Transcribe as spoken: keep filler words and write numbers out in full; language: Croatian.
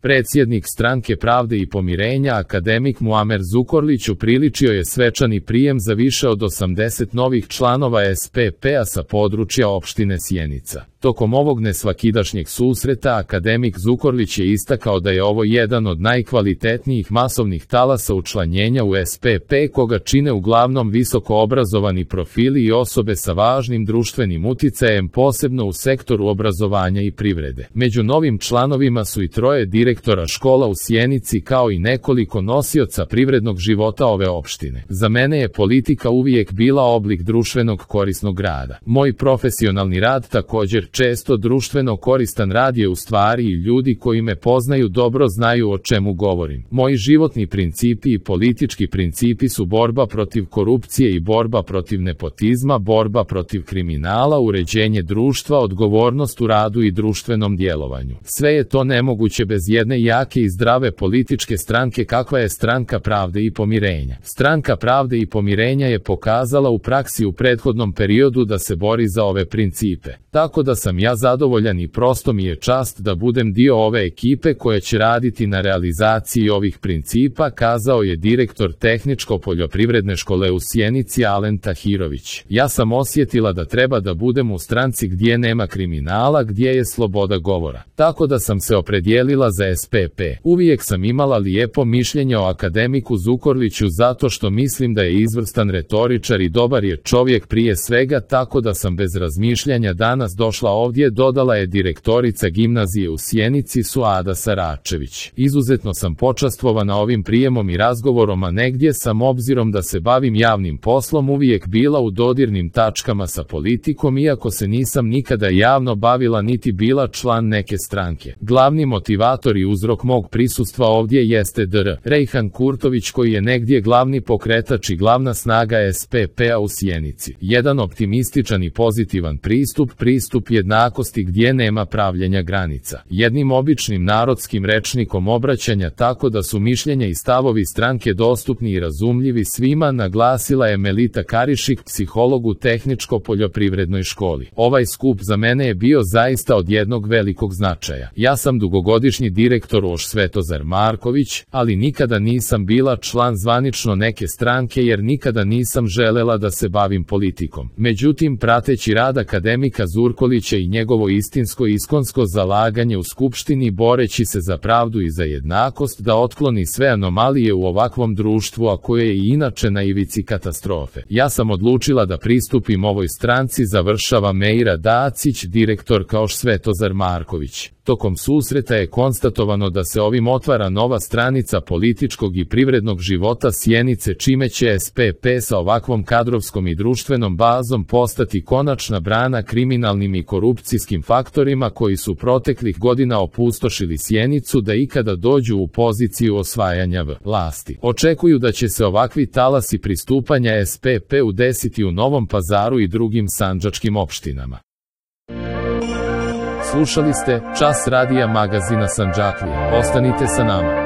Predsjednik Stranke pravde i pomirenja akademik Muamer Zukorlić upriličio je svečani prijem za više od osamdeset novih članova S P P-a sa područja opštine Sjenica. Tokom ovog nesvakidašnjeg susreta akademik Zukorlić je istakao da je ovo jedan od najkvalitetnijih masovnih talasa učlanjenja u S P P koga čine uglavnom visoko obrazovani profili i osobe sa važnim društvenim uticajem, posebno u sektoru obrazovanja i privrede. Među novim članovima su i troje direktora škola u Sjenici kao i nekoliko nosioca privrednog života ove opštine. Za mene je politika uvijek bila oblik društvenog korisnog rada. Moj profesionalni rad također često društveno koristan rad je u stvari i ljudi koji me poznaju dobro znaju o čemu govorim. Moji životni principi i politički principi su borba protiv korupcije i borba protiv nepotizma, borba protiv kriminala, uređenje društva, odgovornost u radu i društvenom djelovanju. Sve je to nemoguće bez jedne jake i zdrave političke stranke kakva je Stranka pravde i pomirenja. Stranka pravde i pomirenja je pokazala u praksi u prethodnom periodu da se bori za ove principe. Tako da sam ja zadovoljan i prosto mi je čast da budem dio ove ekipe koja će raditi na realizaciji ovih principa, kazao je direktor Tehničko-poljoprivredne škole u Sjenici Alen Tahirović. Ja sam osjetila da treba da budem u stranci gdje nema kriminala, gdje je sloboda govora. Tako da sam se opredijelila za S P P. Uvijek sam imala lijepo mišljenje o akademiku Zukorliću zato što mislim da je izvrstan retoričar i dobar je čovjek prije svega, tako da sam bez razmišljanja danas došla ovdje, dodala je direktorica gimnazije u Sjenici Suada Saračević. Izuzetno sam počastvovana ovim prijemom i razgovorom, a negdje sam obzirom da se bavim javnim poslom uvijek bila u dodirnim tačkama sa politikom, iako se nisam nikada javno bavila niti bila član neke stranke. Glavni motivator i uzrok mog prisustva ovdje jeste dr Rejhan Kurtović koji je negdje glavni pokretač i glavna snaga S P P-a u Sjenici. Jedan optimističan i pozitivan pristup, pristup jednakosti gdje nema pravljenja granica. Jednim običnim narodskim rečnikom obraćanja tako da su mišljenja i stavovi stranke dostupni i razumljivi svima, naglasila je Melita Karišik, psiholog u Tehničko-poljoprivrednoj školi. Ovaj skup za mene je bio zaista od jednog velikog značaja. Ja sam dugogodišnji direktor Oš Svetozar Marković, ali nikada nisam bila član zvanično neke stranke jer nikada nisam želela da se bavim politikom. Međutim, prateći rad akademika Zurkolića i njegovo istinsko i iskonsko zalaganje u skupštini boreći se za pravdu i za jednakost da otkloni sve anomalije u ovakvom društvu, a koje je i inače na ivici katastrofe. Ja sam odlučila da pristupim ovoj stranci, završava Meira Dacić, direktorka Oš Svetozar Marković. Tokom susreta je konstatovano da se ovim otvara nova stranica političkog i privrednog života Sjenice, čime će S P P sa ovakvom kadrovskom i društvenom bazom postati konačna brana kriminalnim i korupcijskim faktorima koji su proteklih godina opustošili Sjenicu da ikada dođu u poziciju osvajanja vlasti. Očekuju da će se ovakvi talasi pristupanja S P P-u desiti u Novom Pazaru i drugim sandžačkim opštinama. Slušali ste Čas radija magazina Sandžaklija. Ostanite sa nama.